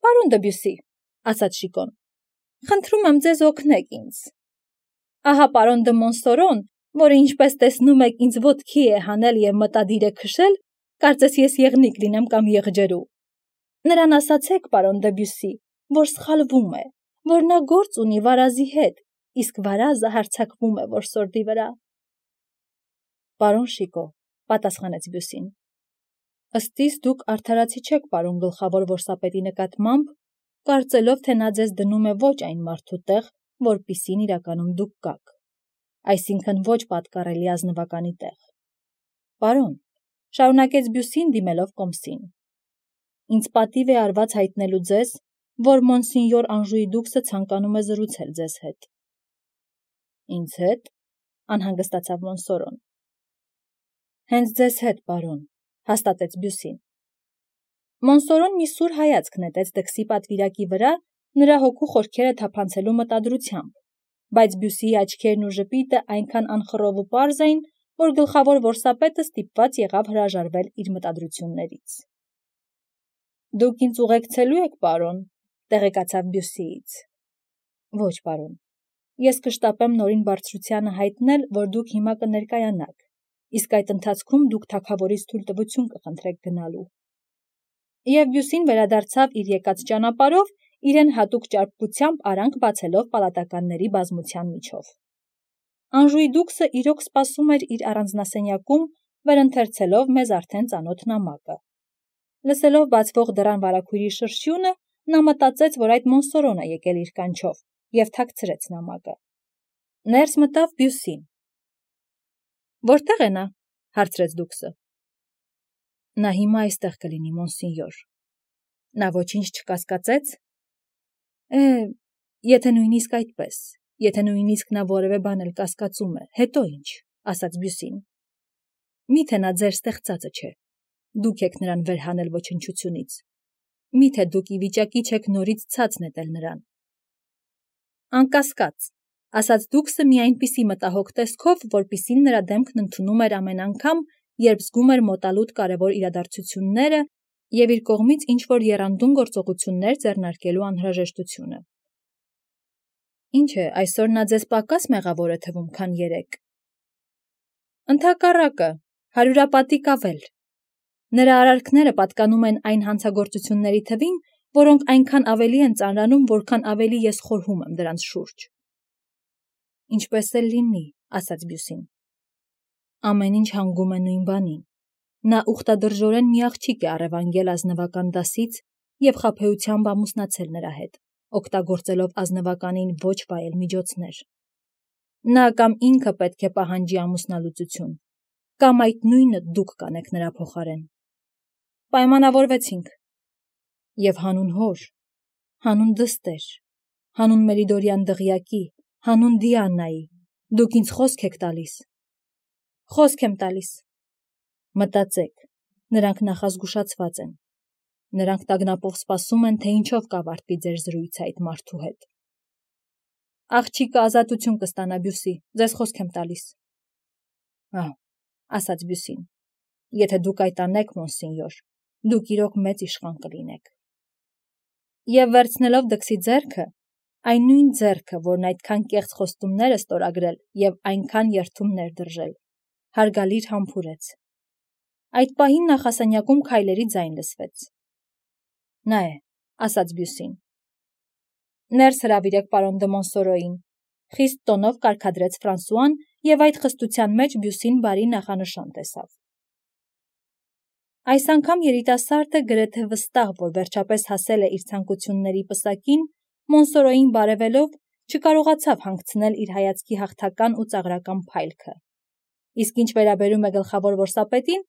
Պարոն Դեբյուսի, ասաց Շիկոն, խնդրում եմ ձեզ օգնեք ինձ։ Ահա պարոն դը Մոնսորոն, որը ինչպես տեսնում եք ինձ ոտքի է հանել և մտադիր է քշել, կարծես ես եղնիկ լինեմ կամ եղջերու։ Նրան ասացեք, պարոն Դեբյուսի, որ սխալվում է, որ նա գործ ունի վարազի հետ, իսկ վարազը հարձակվում է որսորդի վրա։ Պարոն Շիկո, պատասխանեց Բյուսին, ըստիս դուք արդարացի չեք պարոն գլխավոր որսապետի նկատմամբ, կարծելով, թե նա ձեզ դնում է ոչ այն մարդու տեղ, որպիսին իրականում դուք կաք, այսինքն ոչ պատկառելի ազնվականի տեղ։ Պարոն, շարունակեց Բյուսին դիմելով կոմսին, ինձ պատիվ է արված հայտնելու ձեզ, որ մոնսինյոր Անժուի դուքսը ցանկանում է զրուցել ձեզ հետ։ Ինձ հետ, անհանգստացավ Մոնսորոն։ Հենց ձեզ հետ, պարոն, հաստատեց Բյուսին։ Մոնսորոն մի սուր հայացք նետեց դքսի պատվիրակի վրա, նրա հոգու խորքերը թափանցելու մտադրությամբ, բայց Բյուսիի աչքերն ու ժպիտը այնքան անխռով ու պարզ էին, որ գլխավոր որսապետը ստիպված եղավ հրաժարվել իր մտադրություններից։ Դուք ինձ ուղեկցելու եք, պարոն, տեղեկացավ Բյուսիից։ Ոչ, պարոն, ես կշտապեմ նորին բարձրությանը հայտնել, որ դուք հիմա կներկայանաք, իսկ այդ ընթացքում դուք թագավորից թույլտվություն կխնդրեք գնալու։ Եվ Բյուսին վերադարձավ իր եկած ճանապարհով, իրեն հատուկ ճարպկությամբ արանք բացելով պալատականների բազմության միջով։ Անժուի դուքսը իրոք սպասում էր իր առանձնասենյակում, վերընթերցելով մեզ արդեն ծանոթ նամակը։ Լսելով բացվող դռան վարագույրի շրշյունը, նա մտածեց, որ այդ Մոնսորոն է եկել իր կանչով, և թաքցրեց նամակը։ Ներս մտավ Բյուսին։ Որտե՞ղ է նա, հարցրեց դուքսը։ Նա հիմա այստեղ կլինի, մոնսինյոր։ Նա ոչինչ չկասկածեց։ Եթե նույնիսկ այդպես, եթե նույնիսկ նա որևէ բան էլ կասկածում է, հետո ինչ, ասաց Բյուսին։ Միթե նա ձեր ստեղծածը չէ, դուք եք նրան վեր հանել ոչնչությունից, միթե դուք ի վիճակի չեք նորից ցած նետել նրան։ Անկասկած, ասաց դուքսը մի այնպիսի մտահոգ տեսքով, որպիսին նրա դեմքն ընդունում էր ամեն անգամ, երբ զգում էր մոտալուտ կարևոր իրադարձությունները և իր կողմից ինչ-որ եռանդուն գործողություններ ձեռնարկելու անհրաժեշտությունը։ Ինչ է, այսօր նա ձեզ պակաս մեղավոր է թվում, քան երեկ։ Ընդհակառակը, հարյուրապատիկ ավել։ Նրա արարքները պատկանում են այն հանցագործությունների թվին, որոնք այնքան ավելի են ծանրանում, որքան ավելի ես խորհում եմ դրանց շուրջ։ Ինչպես էլ լինի, ասաց Բյուսին։ Ամեն ինչ հանգում է նույն բանին։ Նա ուխտադրժորեն մի աղջիկ է առևանգել ազնվական դասից և խաբեությամբ ամուսնացել նրա հետ, օգտագործելով ազնվականին ոչ վայել միջոցներ։ Նա կամ ինքը պետք է պահանջի ամուսնալուծություն, կամ այդ նույնը դուք կանեք նրա փոխարեն։ Պայմանավորվեցինք։ Եվ հանուն հոր, հանուն դստեր, հանուն Մերիդորյան դղյակի, հանուն Դիանայի, դուք ինձ խոսք եք տալիս։ Խոսք եմ տալիս։ Մտածեք, նրանք նախազգուշացված են։ Նրանք տագնապով սպասում են, թե ինչով կավարտվի ձեր զրույցը այդ մարդու հետ։ Աղջիկը ազատություն կստանա, Բյուսի, ձեզ խոսք եմ տալիս։ Ասաց Բյուսին, եթե դուք այդ անեք, մոնսինյոր, դուք իրոք մեծ իշխան կլինեք։ Եվ վերցնելով դքսի ձեռքը, այն նույն ձեռքը, որն այդքան կեղծ խոստումներ է ստորագրել և այնքան երդումներ դրժել, հարգալիր համբուրեց։ Այդ պահին նախասենյակում քայլերի ձայն լսվեց։ Նա է, ասաց Բյուսին։ Ներս հրավիրեք պարոն դը Մոնսորոյին, խիստ տոնով կարգադրեց Ֆրանսուան, և այդ խստության մեջ Բյուսին բարի նախանշան տեսավ։ Այս անգամ երիտասարդը գրեթե վստահ, որ վերջապես հասել է իր ցանկությունների պսակին, Մոնսորոյին բարևելով, չկարողացավ հանգցնել իր հայացքի հաղթական ու ծաղրական փայլքը։ Իսկ ինչ վերաբերում է գլխավոր որսապետին,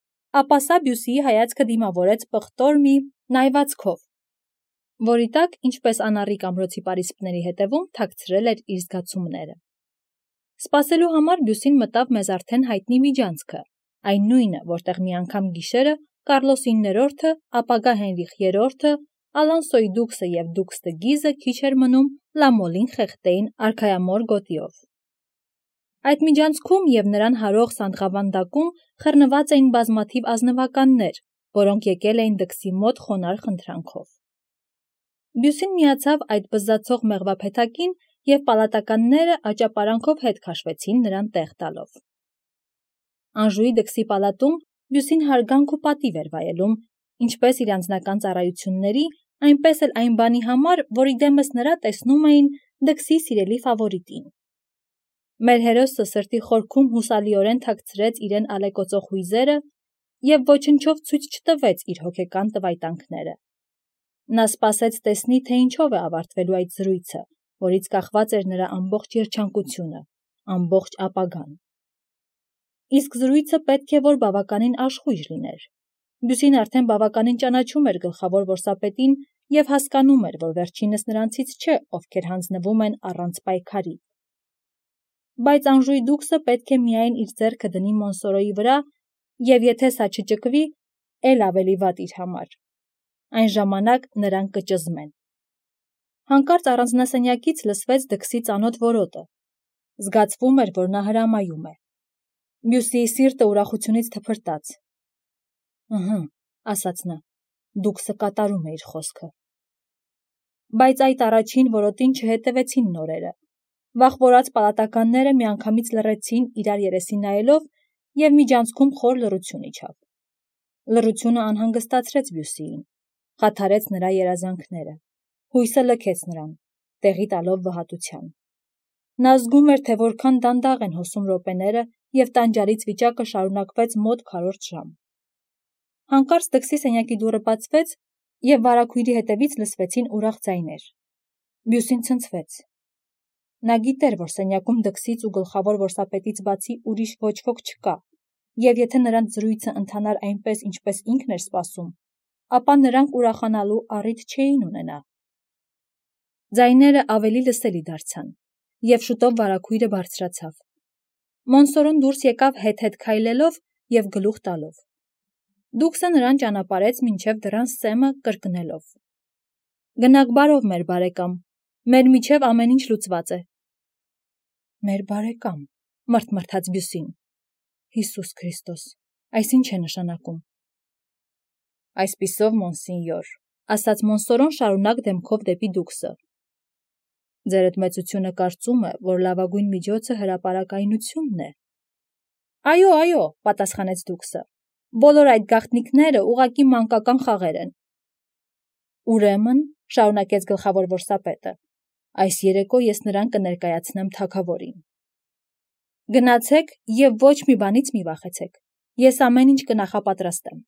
ապա սա Բյուսիի հայացքը դիմավորեց պղտոր մի նայվածքով, որի տակ, ինչպես անառիկ ամրոցի պարիսպների հետևում, թաքցրել էր իր զգացումները։ Սպասելու համար Բյուսին մտավ մեզ արդեն հայտնի միջանցքը, այն նույնը, որտեղ մի անգամ գիշերը Կարլոս 9-րդը, ապագա Հենրիխ 3-ը, Ալոնսոյի դուքսը և դուքս դը Գիզը քիչ էր մնում Լամոլին խեղդեին արքայամոր գոտիով։ Այդ միջանցքում և նրան հարող սանդղավանդակում խռնված էին բազմաթիվ ազնվականներ, որոնք եկել էին դքսի մոտ խոնարհ խնդրանքով։ Բյուսին միացավ այդ բզզացող մեղվափեթակին և պալատականները աճապարանքով հետ քաշվեցին նրան տեղ տալով։ Անժուի դքսի պալատում Բյուսին հարգանք ու պատիվ էր վայելում, ինչպես իր անձնական ծառայությունների, այնպես էլ այն բանի համար, որ իդեմս նրա տեսնում էին դքսի սիրելի ֆավորիտին։ Մեր հերոսը սրտի խորքում հուսալիորեն թաքցրեց իրեն ալեկոծող հույզերը և ոչնչով ցույց չտվեց իր հոգեկան տվայտանքները։ Նա սպասեց տեսնի, թե ինչով է ավարտվելու այդ զրույցը, որից կախված էր նրա ամբողջ երջանկությունը, ամբողջ ապագան։ Իսկ զրույցը պետք է որ բավականին աշխույժ լիներ։ Բյուսին արդեն բավականին ճանաչում էր գլխավոր որսապետին և հասկանում էր, որ վերջինս նրանցից չէ, ովքեր հանձնվում են առանց պայքարի։ Բայց Անժուի դուքսը պետք է միայն իր ձեռքը դնի Մոնսորոյի վրա, և եթե սա չճկվի, էլ ավելի վատ իր համար։ Այն ժամանակ նրան կճզմեն։ Հանկարծ առանձնասենյակից լսվեց դքսի ծանոթ որոտը։ Զգացվում էր, որ նա հրամայում է։ Բյուսիի սիրտը ուրախությունից թփրտաց։ «Ըհը», ասաց նա, դուքսը կատարում է իր խոսքը։ Բայց այդ առաջին որոտին չհետևեցին նորերը։ Վախվորած պալատականները միանգամից լռեցին իրար երեսին նայելով և միջանցքում խոր լռություն իջավ։ Լռությունը անհանգստացրեց Բյուսիին, խաթարեց նրա երազանքները, հույսը լքեց նրան, տեղի տալով վհատության։ Նա զգում էր, թե որքան դանդաղ են հոսում րոպեները և տանջալից վիճակը շարունակվեց մոտ քառորդ ժամ։ Հանկարծ դքսի սենյակի դուռը բացվեց և վարագույրի հետևից լսվեցին ուրախ ձայներ։ Բյուսին ցնցվեց։ Նա գիտեր, որ սենյակում դքսից ու գլխավոր որսապետից բացի ուրիշ ոչ ոք չկա, և եթե նրանց զրույցը ընթանար այնպես, ինչպես ինքն էր սպասում, ապա նրանք ուրախանալու առիթ չէին ունենա։ Ձայները ավելի լսելի դարձան, և շուտով վարագույրը բարձրացավ։ Մոնսորոն դուրս եկավ հետ-հետ քայլելով և գլուխ տալով։ Դուքսը նրան ճանապարհեց մինչև դռան սեմը կրկնելով. «Գնաք բարով, մեր բարեկամ, մեր միջև ամեն ինչ լուծված է»։ «Մեր բարեկամ», մռթմռթաց Բյուսին։ Հիսուս Քրիստոս, այս ինչ է նշանակում։ «Այսպիսով, մոնսինյոր», ասաց Մոնսորոն շարունակ դեմքով դեպի դուքսը։ «Ձերդ մեծությունը կարծում է, որ լավագույն միջոցը հրապարակայնությունն է»։ «Այո, այո», պատասխանեց դուքսը, «բոլոր այդ գաղտնիքները ուղղակի մանկական խաղեր են»։ «Ուրեմն», շարունակեց գլխավոր որսապետը, «այս երեկո ես նրան կներկայացնեմ թագավորին»։ «Գնացեք և ոչ մի բանից մի վախեցեք, ես ամեն ինչ կնախապատրաստեմ»։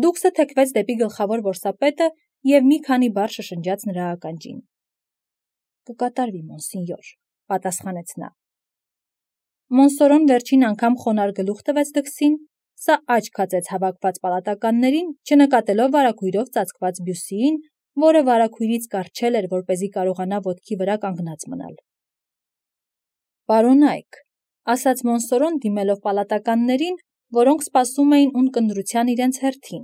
Դուքսը թեքվեց դեպի գլխավոր որսապետը և մի քանի բառ շշնջաց նրա ականջին։ «Կկատարվի, մոնսինյոր», պատասխանեց նա։ Մոնսորոն վերջին անգամ խոնարհ գլուխ տվեց դքսին, սա աչք հացեց հավաքված պալատականներին, չնկատելով վարագույրով ծածկված Բյուսիին, որը վարագույրից կառչել էր, որպեսզի կարողանա ոտքի վրա կանգնած մնալ։ «Պարոնայք», ասաց Մոնսորոն դիմելով պալատականներին, որոնք սպասում էին ունկնդրության իրենց հերթին,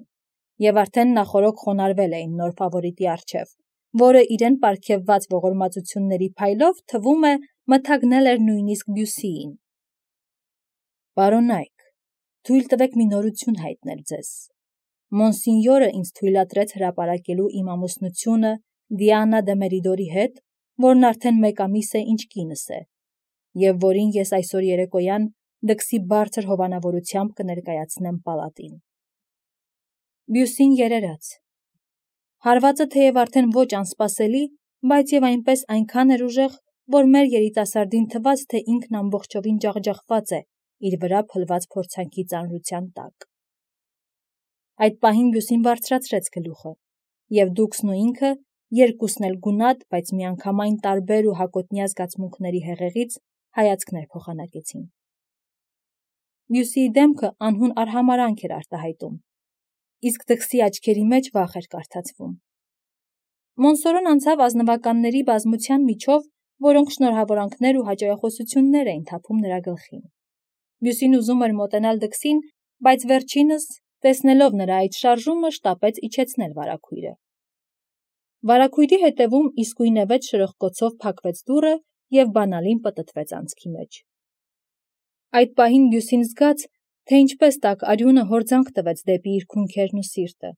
և արդեն նախօրոք խոնարհվել էին նոր ֆավորիտի առջև, որը իրեն պարգևված ողորմածությունների փայլով թվում է մթագնել էր նույնիսկ Բյուսիին։ «Պարոնայք, թույլ տվեք մի նորություն հայտնել ձեզ։ Մոնսինյորը ինձ թույլատրեց հրապարակելու իմ ամուսնությունը Դիանա դե Մերիդորի հետ, որն արդեն 1 ամիս է ինչ կինս է, և որին ես այսօր երեկոյան դքսի բարձր հովանավորությամբ կներկայացնեմ պալատին»։ Բյուսին երերաց։ Հարվածը թեև արդեն ոչ անսպասելի, բայց և այնպես այնքան էր ուժեղ, որ մեր երիտասարդին թվաց, թե ինքն ամբողջովին ջախջախված է իր վրա փլված փորձանքի ծանրության տակ։ Այդ պահին Բյուսին բարձրացրեց գլուխը, և դուքսն ու ինքը, երկուսն էլ գունատ, բայց միանգամայն տարբեր ու հակոտնյա զգացմունքների հեղեղից հայացքներ փոխանակեցին։ Բյուսիի դեմքը անհուն արհամարհանք էր արտահայտում, իսկ դքսի աչքերի մեջ վախ էր կարդացվում։ Մոնսորոն անցավ ազնվականների բազմության միջով, որոնք շնորհավորանքներ ու հաճոյախոսություններ էին թափում նրա գլխին։ Բյուսին ուզում էր մոտենալ դքսին, բայց վերջինս, տեսնելով նրա այդ շարժումը, շտապեց իջեցնել վարագույրը։ Վարագույրի հետևում իսկույնևեթ շրխկոցով փակվեց դուռը և բանալին պտտվեց անցքի մեջ։ Այդ պահին Բյուսին զգաց, թե ինչպես տաք արյունը հորձանք տվեց դեպի իր քունքերն ու սիրտը։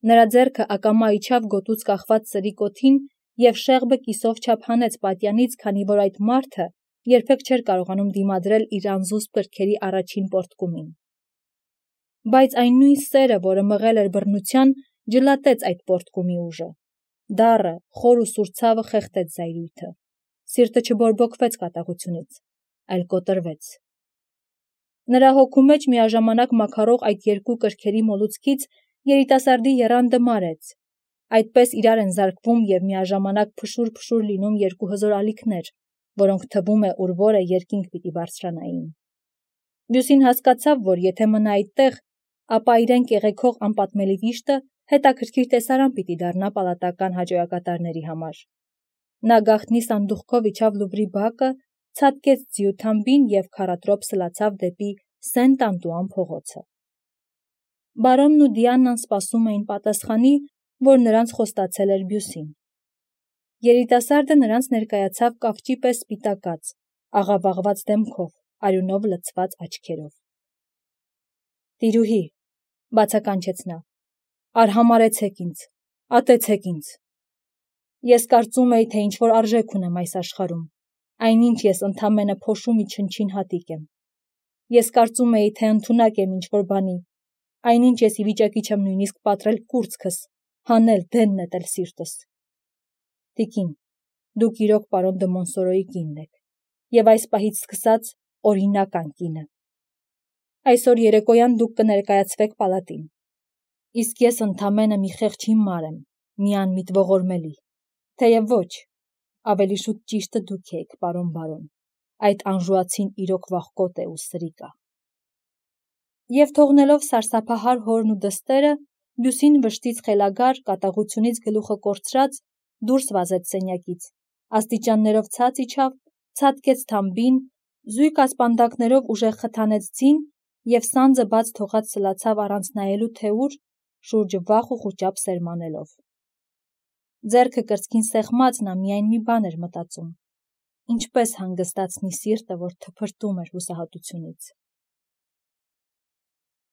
Նրա ձեռքը ակամա իջավ գոտուց կախված սրի կոթին և շեղբը կիսով չափ հանեց պատյանից, քանի որ այդ մարդը երբեք չէր կարողանում դիմադրել իր անզուսպ կրքերի առաջին պոռթկումին։ Բայց այն նույն սերը, որը մղել էր բռնության, ջլատեց այդ պոռթկումի ուժը։ Դառը, խոր ու սուր ցավը խեղդեց զայրույթը։ Սիրտը չբորբոքվեց կատաղությունից, այլ կոտրվեց։ Նրա հոգու մեջ միաժամանակ մաքարող այդ երկու կրքերի մոլուցքից երիտասարդի եռանդը մարեց։ Այդպես իրար են զարկվում և միաժամանակ փշուր-փշուր լինում երկու հզոր ալիքներ, որոնք թվում է ուր-որ է երկինք պիտի բարձրանային։ Բյուսին հասկացավ, որ եթե մնա այդտեղ, ապա իրեն կեղեքող անպատմելի վիշտը հետաքրքիր տեսարան պիտի դառնա պալատական հաճոյակատարների համար։ Նա գաղտնի սանդուղքով իջավ Լուվրի բակը, ցատկեց ձիու թամբին և քառատրոփ սլացավ դեպի Սենտ-Անտուան փողոցը։ Բարոնն ու Դիանան սպասում էին պատասխանի, որ նրանց խոստացել էր Բյուսին։ Երիտասարդը նրանց ներկայացավ կավճի պես սպիտակած, աղավաղված դեմքով, արյունով լցված աչքերով։ «Տիրուհի», բացականչեց նա, «արհամարհեցեք ինձ, ատեցեք ինձ։ Ես կարծում էի, թե ինչ-որ արժեք ունեմ այս աշխարհում, այնինչ ես ընդամենը փոշու մի չնչին հատիկ եմ։ Ես կարծում էի, թե ընդունակ եմ ինչ-որ բանի, այնինչ ես ի վիճակի չեմ նույնիսկ պատռել կուրծքս, հանել, դեն նետել սիրտս։ Տիկին, դուք իրոք պարոն դը Մոնսորոյի կինն եք, և այս պահից սկսած օրինական կինը։ Այսօր երեկոյան դուք կներկայացվեք պալատին, իսկ ես ընդամենը մի խեղճ հիմար եմ, մի անմիտ ողորմելի, թեև ոչ, ավելի շուտ ճիշտը դուք եք, պարոն բարոն, այդ անժուացին իրոք վախկոտ է ու սրիկ ա»։ Եվ թողնելով սարսափահար հորն ու դստերը, Բյուսին վշտից խելագար, կատաղությունից գլուխը կորցրած, դուրս վազեց սենյակից, աստիճաններով ցած իջավ, ցատկեց թամբին, զույգ ասպանդակներով ուժեղ խթանեց ձին և սանձը բաց թողած սլացավ առանց նայելու թե ուր, շուրջը վախ ու խուճապ սերմանելով։ Ձեռքը կրծքին սեղմած նա միայն մի բան էր մտածում. ինչպես հանգստացնի սիրտը, որ թփրտում էր հուսահատությունից։